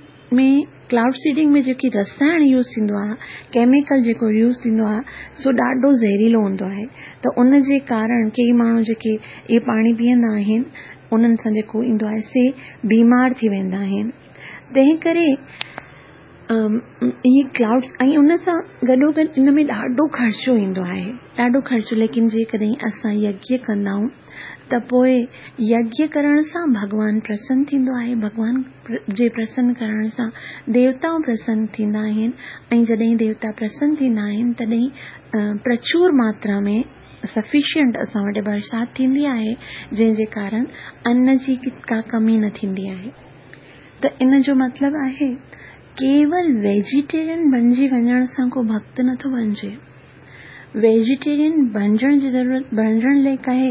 ۾ ڪلائوڊ سيڊنگ ۾ جيڪي رسائڻ يوز ٿيندو آهي، ڪيميڪل جيڪو يوز ٿيندو آهي سو ڏاڍو زهريلو هوندو آهي. ته ان جي ڪارڻ ڪئي ماڻهو جيڪي اهي پاڻي پيئندا آهن انهن سان جيڪو ايندو آهي سي بيمار ٿي ويندا آهن. تنهن ڪري اهي ڪلائوڊس ۽ ان سان گڏو گڏ ان ۾ ڏاڍو خرچو ايندو آهي، ڏاڍو خرچو. ليڪن جيڪڏهن اسان يگيه ڪندا آهيون ته پوءِ يگيه ڪرڻ سان ڀڳوان پرسن ٿيندو آهي، ڀڳوان جي پرسن ڪرڻ سان ديوتائون پرسن ٿيندا آهن، ۽ جڏهن ديوتا پرسن ٿيندا آهن تڏهن پرچور ماترا ۾ سفيشنٽ اسان وٽ برسات ٿيندي آهي، جنهن جي ڪارڻ ان جي ڪا ڪمي نه ٿيندي آهي. ته ان جو مطلب آهي ڪيول ويجيٽيرين بڻجي وڃڻ سان ڪو ڀڪت نٿو بڻجي. ويجيٽيرين بڻجڻ جي ضرورت بڻجڻ لاءِ ڪاهي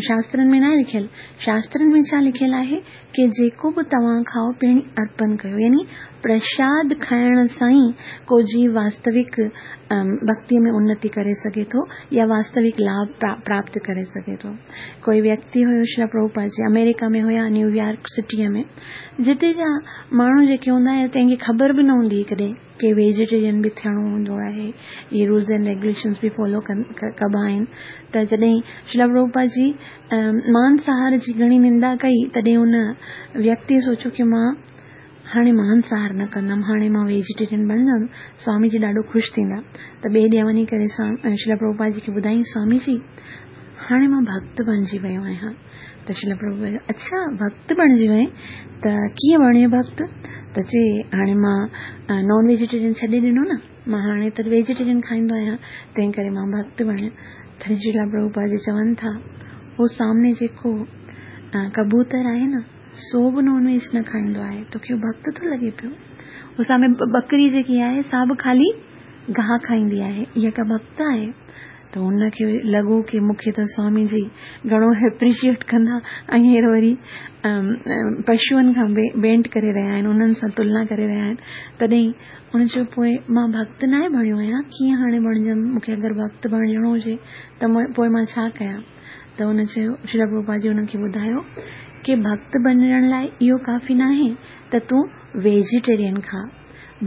شاسترن ۾ ناهي لکيل. شاسترن ۾ ڇا لکيل آهي ڪه جيڪو به توهان کائو پهرين ارپڻ ڪيو، يعني پرشاد کائڻ سان ئي ڪو جيو واستوڪ ڀڪتيءَ ۾ انتي ڪري سگهي ٿو يا واستوڪ لاڀ پراپت ڪري سگهي ٿو. ڪوئي ويڪتي هيو شريلا پرڀوپاد جي آمريڪا ۾ هيا، نيويارڪ سٽيءَ ۾ جتي جا ماڻهو جيڪي هوندا آهن تنهن کي خبر به نه هوندي هئي ڪڏهن ڪه ويجيٽيرين به ٿيڻو هوندو آهي، اهي رولز اينڊ ريگيوليشنس به فالو ڪبا آهن. ته جڏهن شريلا پرڀوپاد جي مانساهار جي گهڻي نندا ڪئي تڏهن هن ويڪتيءَ سوچيو ڪه مان هاڻي مانساهار نه ڪندم، هاڻي مان ويجيٽيرين بڻجندم. سوامي جي ڏاڍو خوش ٿيندا. ته ٻئي ڏينهن وڃي ڪري شريلا پرڀوپاد جي کي ٻڌائين، سوامي جي هاڻي مان ڀڪت بڻجي ويو آهيان. ته شريلا پرڀوپاد اڇا ڀڪت بڻجي وئين، ته ڪيئن بڻيو ڀڪت؟ ته چئي هاڻي مان نان ويجيٽيرين ڇڏي ڏنو نه، مان هاڻي ته ويجيٽيرين کائيندو آهيان، تنهن ڪري مان ڀڪت بڻيو. تڏهن شريلا پرڀوپاد جي چون ٿا هو سامني جيڪو ڪبوتر آهي نه سو به نان ويج نه کائيندو آهي، توکي ڀڪت ٿو لڳي پيو؟ هو سامهون ٻڪري جيڪي آهي سا به خالي گاهه کائيندي آهي، اها ڪا ڀڪت آهي؟ ته هن کي لڳو ڪه مون کي ته سوامي جي گهڻو ايپريشيئيٽ ڪندا ۽ هينئر وري پشوئن کان ڀينٽ ڪري رهيا آهن، انهن سان تلنا ڪري رهيا آهن. تڏهن هن چيو پوءِ مان ڀڪت نه آهي بڻيو آهيان، ڪيئن هاڻي بڻجم؟ مون کي اگر ڀڪت بڻجڻو هجي ته پوءِ مان ڇا ڪيان؟ ته هن چيو شريلا پرڀوپاد جي هنن کي ٻڌايو ڪه ڀڪت بڻجڻ لاءِ اهو ڪافي نه آهي ته تون ويجيٽيرين کا،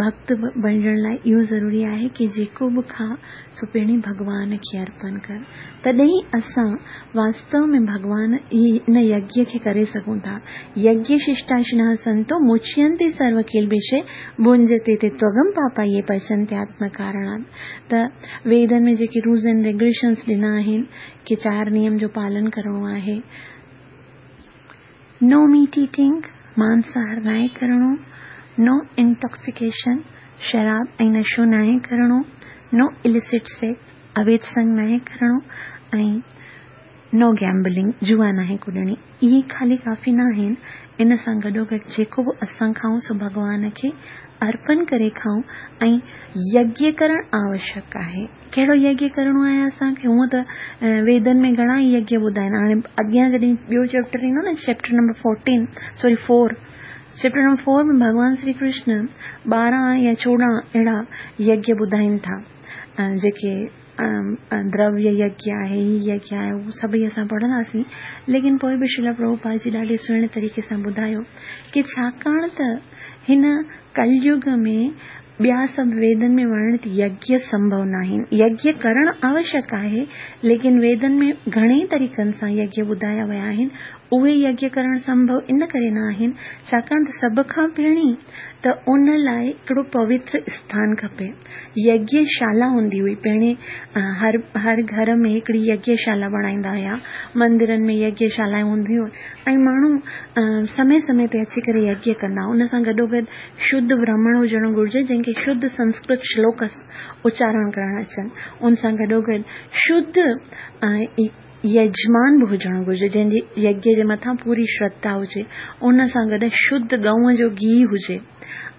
ڀڪت بڻجڻ لاءِ اهو ضروري آهي ڪه جيڪو به کا سو پهرين ڀڳوان کي ارپڻ ڪر، تڏهن اسان واستو ۾ ڀڳوان ان يگيه کي ڪري سگهون ٿا. يگيه ششٽاشنः سنتو مچينتي سرو ڪلبشي ڀنجتي تي त्वगम पापा ये पचन्ते आत्मकारणात्. ته ويدن ۾ جيڪي رولز اينڊ ريگيوليشنس ڏنا آهن ڪه چار نيم جو پالن ڪرڻو آهي، نو ميٽ ايٽنگ، مانساهار ناهي ڪرڻو، نو انٽاڪسيڪيشن، شراب ۽ نشو ناهي ڪرڻو، نو اليسٽ سيڪس، اويڌ سنگ ناهي ڪرڻو، ۽ نو گيمبلنگ، جوا ناهي ڪڏڻي. اهي خالي ڪافي نه آهن، ان سان گڏو گڏ جيڪو به اسان کائون سو ڀڳوان کي ارپڻ ڪري کائون ۽ يگيه ڪرڻ آوشيڪ آهي. ڪهڙو يگيه ڪرڻو آهي اسان کي؟ هونئن ته ويدن ۾ گهڻا ئي يگيه ٻڌائن. هاڻي اڳيان جڏهن ٻيو چيپٽر ايندو نه، chapter number fourteen sorry four chapter number four ۾ ڀڳوان شري ڪرشن ٻارهن يا چوڏهن اهڙا يگيه ٻڌائين ٿا، جيڪي درويه يگيه آهي، هي يگيه آهي، اهو سڀئي اسان پڙهنداسين. ليڪن پوءِ به شريلا پرڀوپاد جي ڏاڍي سهڻي طريقي سان ٻڌايو ڪه ڇاڪاڻ ته هن ڪليگ ۾ ٻيا سڀ ويدن ۾ ورڻت يگيه سنڀو نه آهن. يگيه ڪرڻ آوشيڪ آهي، ليڪن ويدن ۾ گهڻي طريقن سان يگيه ٻڌايا ويا آهن، اهي يگيه ڪرڻ سنڀو ان ڪري نه آهن ڇاڪاڻ ته سڀ کان پهرين ته ان لاءِ هڪڙو پوتر اسٿان کپي. يگيشالا هوندي هئي پهرين، هر هر گهر ۾ هڪڙي يگيشالا بڻائيندا هئا، مندرن ۾ يگيشالائون هونديون ۽ ماڻهو سمي سمي تي اچي ڪري يگيه ڪندا. ان سان گڏو گڏ شڌ برهمڻ هجڻ گهرجي جنهن کي شڌ سنسڪرت شلوڪ اچارڻ ڪرڻ اچن. ان سان گڏو گڏ شڌ يجمان به هجڻ گهرجي جنهن جي يگيه جي مٿان پوري شرڌا هجي. ان سان گڏ شڌ گئونءَ جو گيهه هجي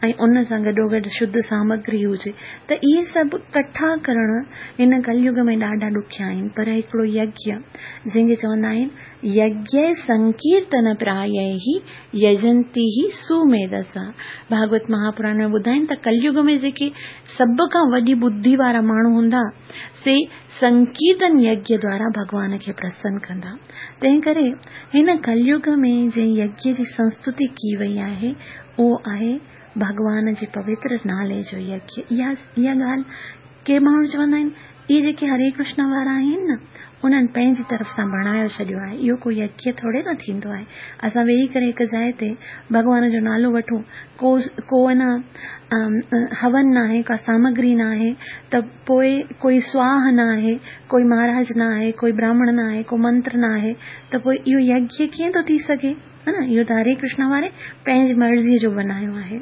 ۽ ان سان گڏو گڏ شڌ سامگري هجي. ته اهي سڀ ڪٺا ڪرڻ هن ڪليگ ۾ ڏاڍا ڏکيا آهن. پر هڪڙو يگيه جنهن کي چوندا آهن يگيه سنڪيرتن پرايه يجنتي هي سميڌسا. ڀاڳوت مهاپراڻ ۾ ٻڌائين ته ڪليگ ۾ جيڪي سڀ کان وڏي ٻڌي وارا ماڻهو هوندا سي سنڪيرتن يگيه دوارا ڀڳوان کي پرسن ڪندا. تنهن ڪري هن ڪليگ ۾ جنهن يگيه جي سنستتي ڪئي وئي آهي اهو آهي ڀڳوان جي پوتر نالي جو يگيه. اها اها ڳالهه ڪي ماڻهو چوندا آهن اهي جيڪي هري ڪرشن وارا آهن نه، انهن پنهنجي طرف سان بڻايو ڇڏيو آهي. اهو ڪو يگيه ٿوري نه ٿيندو آهي. اسان ويهي ڪري هڪ جاءِ تي ڀڳوان جو نالو وٺون، ڪو ڪو نه هون نه آهي، ڪا سامگري نه آهي، ته پوءِ ڪوئي سواهه نه آهي، ڪوئي مهاراج نه آهي، ڪوئي براهمڻ نه آهي، ڪو منتر نه آهي، ته پوءِ اهو يگيه ڪيئن ٿو ٿي سگهي؟ ها نه، اهو ته هري ڪرشن واري پنهنجي مرضيءَ جو بنايو آهي.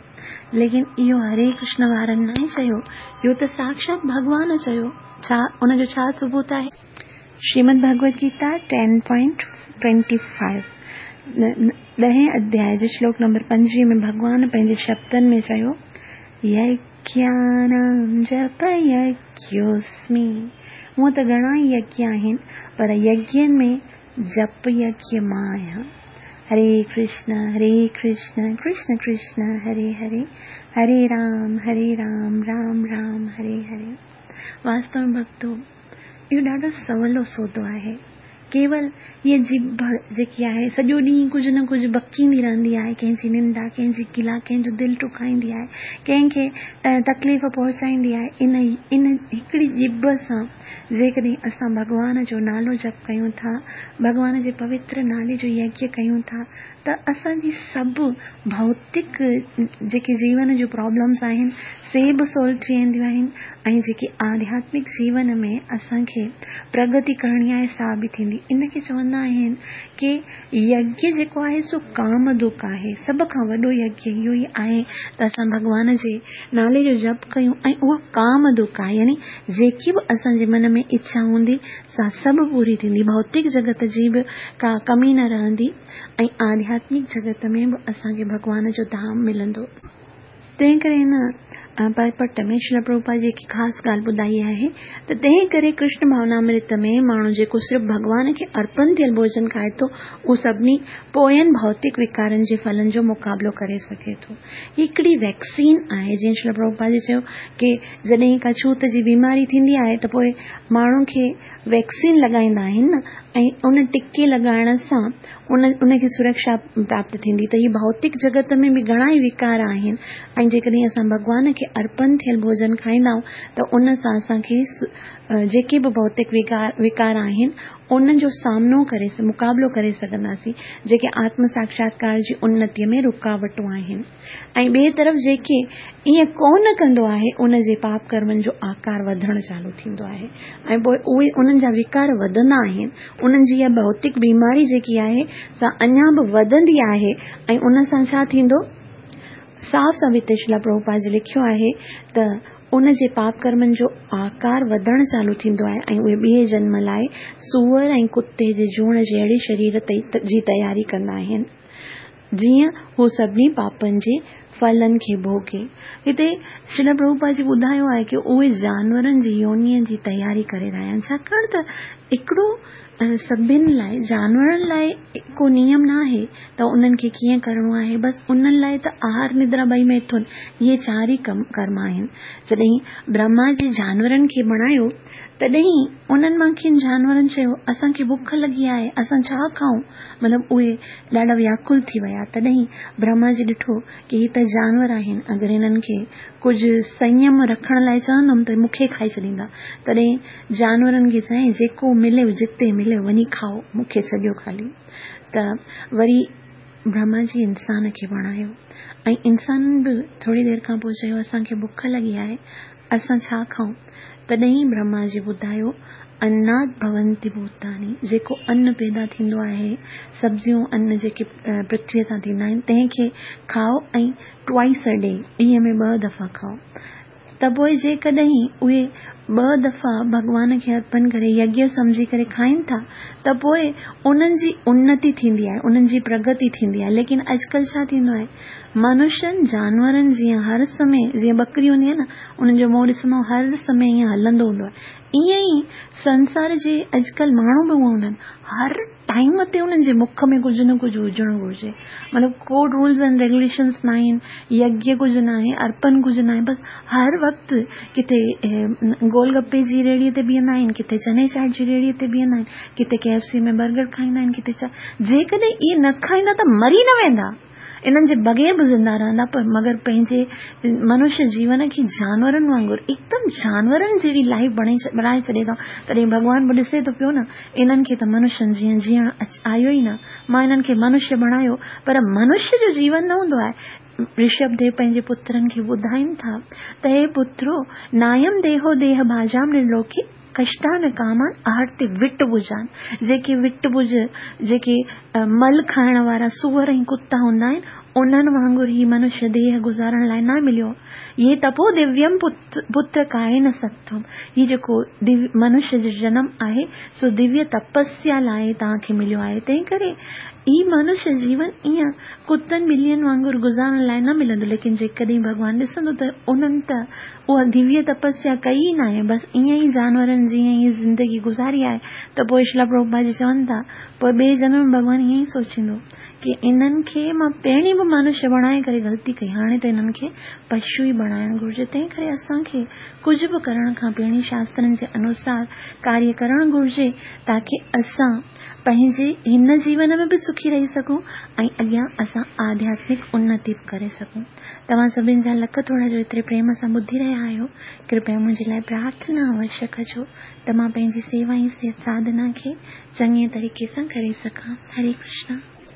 ليڪن اهو هري ڪرشن وارن نه چيو، اهو ته ساڪشات ڀڳوان چيو. ڇا ان جو ڇا ثبوت آهي؟ Shrimad Bhagavad Gita ten point twenty five ڏهين اڌياءِ جي شلوڪ نمبر پنجويهه ۾ ڀڳوان پنهنجي شبدن ۾ چيو، يگيانام جپ يگيوسمي. هونئن ته گهڻا ئي يگيه آهن، پر يگين ۾ جپ يگيه مان آهيان. هري ڪرشن هري ڪرشن ڪرشن ڪرشن هري هري، هري رام هري رام رام رام هري هري. واستو ۾ ڀڳتو، اهو ڏاڍو سولو سودو آهي. ڪيول هيءَ ڄڀ جيڪي آهي سڄو ڏينهن ڪجهه نه ڪجهه بڪيندي رهندي آهي، ڪنهن جي نندا، ڪنهن جي گلا، ڪنهن جو دل ٽڪائيندي آهي، ڪنهن کي تڪليف پهچائيندي آهي. ان ان هڪڙي ڄڀ سان جيڪڏهن اسان ڀڳوان جو نالو جپ ڪيون ٿا، ڀڳوان جي پوتر نالي جو يگيه ڪيون ٿا، ته اسان جي سڀ ڀوتڪ جيڪي جيون جون پرابلمس آهن سي به سالو ٿي وينديون آهن، ۽ جيڪي آڌياتمڪ جيون ۾ اسان کي پرگتي ڪرڻي آهي سا به ٿيندي. ان کي چوندا آهن ڪه يگيه جيڪو آهي سو ڪامدڪ آهي. سڀ کان وڏو يگيه اهو ئي آهي ته اسان ڀڳوان جي نالي جو جپ ڪيون، ۽ اهو ڪامدڪ آهي، يعني جيڪي به اسان جي من ۾ اڇا هوندي سا سڀ پوري ٿيندي. ڀوتڪ جڳت جي به ڪا ڪمي نه رهندي، ۽ آڌياتمڪ جڳت ۾ به اسان کي ڀڳوان جو ڌام ملندو. تنهن ڪري هن پرپٽ ۾ شريل پرڀوپاد جي هڪ خاص ڳالهه ٻڌائي آهي ته تنهن ڪري ڪرشن ڀاونامرت ۾ ماڻهو جيڪو صرف ڀڳوان کي ارپڻ ٿيل ڀوڄن کائي ٿو، اهو سڀني پوين ڀوتڪ وڪارن جي ڦلن جو مقابلو ڪري سگهي ٿو. هي هڪڙي ويڪسين آهي. جيئن شريل پرڀوپاد جي چيو ڪه جڏهن ڪا ڇوت جي بيماري ٿيندي آهي ته پوءِ ماڻهو کي ويڪسين لڳائيندا آهن نه، ۽ ان ٽڪي لڳائڻ سان ان ان کي سرڪشا پراپت ٿيندي. ته هي ڀوتڪ جڳت ۾ به گهڻا ئي وڪار آهن، ۽ جيڪڏهن اسان ڀڳوان کي ارپڻ ٿيل ڀوڄن کائيندا آهيون ته ان سان اسان کي جيڪي به ڀوتڪ وڪار وڪار آهن انهن جو سامنو ڪري مقابلو ڪري سگهنداسين، جيڪي آتم ساڪشاتڪار جي انتيءَ ۾ رڪاوٽون آهن. ۽ ٻئي طرف جيڪي ائين ڪونه ڪندو آهي ان جي پاپ ڪرمن جو آڪار وڌڻ چالو ٿيندو آهي، ۽ پوءِ اهي انهن جا وڪار وڌندا آهن. انهن جي اها ڀوتڪ بيماري جيڪي آهي سا اڃا به وڌندي آهي، ۽ ان سان ڇا ٿيندو؟ صاف صاف هتي شريل پرڀوپاد جي لکيو آهي ته ان جي پاپ ڪرمن جو آڪار وڌڻ چالو ٿيندو آهي، ۽ اهي ٻئي جنم لاءِ سوئر ۽ ڪتي جي جوڻ جهڙي شرير جي تياري ڪندا آهن، جيئن هو سڀني پاپن جي ڦلن کي ڀوڳي. هتي شريل پرڀوپاد جي ٻڌايو آهي ڪه اهي جانورن جي يونيءَ جي تياري ڪري رهيا آهن، ڇاڪاڻ ته هڪڙو سڀني لاءِ جانورن لاءِ ڪو نيم نه آهي ته انهن کي ڪيئن ڪرڻو آهي، بس انهن لاءِ ته آهار ندرا ٻئي ميٿن اهي چار ئي ڪم ڪرم آهن. جڏهن برهما جي جانورن کي بڻايو تڏهن انهن مان ڪن جانورن چيو اسان کي بک لڳي آهي، اسان ڇا کائون؟ مطلب اهي ڏاڍا وياڪل ٿي ويا. تڏهن برهما جي ڏٺو ڪه هي ته جانور آهن، اگر هنن کي ڪجهه سنيم رکڻ لاءِ چوندم ته مون کي کائي ڇڏيندا. تڏهن جانورن کي چيائين جيڪو ملي جتي ملي وڃي کائو، مون کي ڇڏيو خالي. ته وري برهما جي انسان کي بڻايو، ۽ انسانن به ٿوري دير کان پوءِ چيو اسان کي بک لڳي آهي، اسان ڇا کائون؟ تڏهن برهما جي ٻڌايو انات ڀونتي ڀوتاني، جيڪو ان پيدا ٿيندو آهي، سبزيون ان جيڪي پرٿويءَ سان ٿيندا آهن تنهن کي کائو، ۽ ٽوائس ا ڊي، ڏينهن ۾ ٻه دفعا کائو. ته پوءِ جيڪڏهن اهي ٻه دفعا ڀڳوان کي ارپڻ ڪري يگيه سمجهي ڪري کائين ٿا ته پوءِ انهن جي انتي ٿيندي آهي، انهن جي پرگتي ٿيندي آهي. ليڪن اڄڪلهه ڇا ٿيندو آهي، منشين جانورن جيئن هر سمي، جيئن ٻڪري هوندي آهي نه، انهن جو منهن ڏسندو هر سمي ائين هلندو هوندو آهي، ائين ئي سنسار جي اڄڪلهه ماڻهو به اها هوندا آهن، هر ٽائيم تي انهن جي مک ۾ ڪجهه نه ڪجهه هجڻ گهرجي. مطلب ڪو رولز اينڊ ريگيوليشنس نه آهن، يگيه ڪجهه نه آهي، ارپڻ ڪجهه نه آهي، بس هر وقت ڪٿي گول گپي جي ريڙهيءَ تي بيهندا آهن، ڪٿي چني چاٽ جي ريڙهيءَ تي بيهندا آهن، ڪٿي ڪي ايف سي ۾ برگر کائيندا آهن، ڪٿي ڇا. جيڪڏهن اهي نه کائيندا ته مري نه ويندا. انهن جي بغير به زنده رهندا، پر مگر پنهنجي منشيه جيون کي جانورن وانگر، هڪدم جانورن جهڙي لائيف بڻائي ڇڏي اٿئون. تڏهن ڀڳوان به ڏسي ٿو پيو نه، انهن کي ته منشين جيئن جيئڻ آيو ئي نه، مان انهن کي منشيه بڻايو پر منشيه جو جيون نه هوندو آهي. رشڀ ديو پنهنجي پترن کي ٻڌائين ٿا ته هي پترو، نايم ديهو ديهه ڀاجام نرلوڪي ڪشٽان ڪامان آرتي وٽ ٻجان، جيڪي وٽ ٻج، جيڪي مل کائڻ وارا سوئر ۽ ڪتا هوندا آهن، انهن وانگر هي منشيه ديهه گذارڻ لاء نه مليو. هي تپو دويم پتر ڪائي نه ستم، هي جيڪو منشيه جو جنم آهي سو دويه تپسيا لاء توهان کي مليو آهي، تنهن ڪري هي منشيه جيون ائين ڪتن ٻلين وانگر گذارڻ لاء نه ملندو. ليڪن جيڪڏهن ڀڳوان ڏسندو ته انهن ته اها دويه تپسيا ڪئي ئي ناهي، بس ائين ئي جانورن جيئن ئي زندگي گذاري آهي، ته پوء شريلا پرڀوپاد جي چون ٿا پوء ٻئي جنم ۾ ڀڳوان ائين ئي سوچيندو ڪي انهن کي مان پهرين به منشيه بڻائي ڪري غلطي ڪئي، هاڻي ته انهن کي پشو ئي بڻائڻ گهرجي. تنهن ڪري اسان کي ڪجهه به ڪرڻ کان پهرين شاسترن جي انوسار ڪاريه ڪرڻ گهرجي، تاڪي اسان پنهنجي هن جيون ۾ به سکي رهي سگهون ۽ اڳيان اسان آڌياتمڪ انتي به ڪري سگهون. توهان سڀن جا لک ٿورا جو ايتري پريم سان ٻڌي رهيا آهيو. ڪرپيا منهنجي لاءِ پرارٿنا اوشيه ڪجو ته مان پنهنجي سيوا ۽ ساڌنا کي چڱي طريقي سان ڪري سگهان. هري ڪرشنا.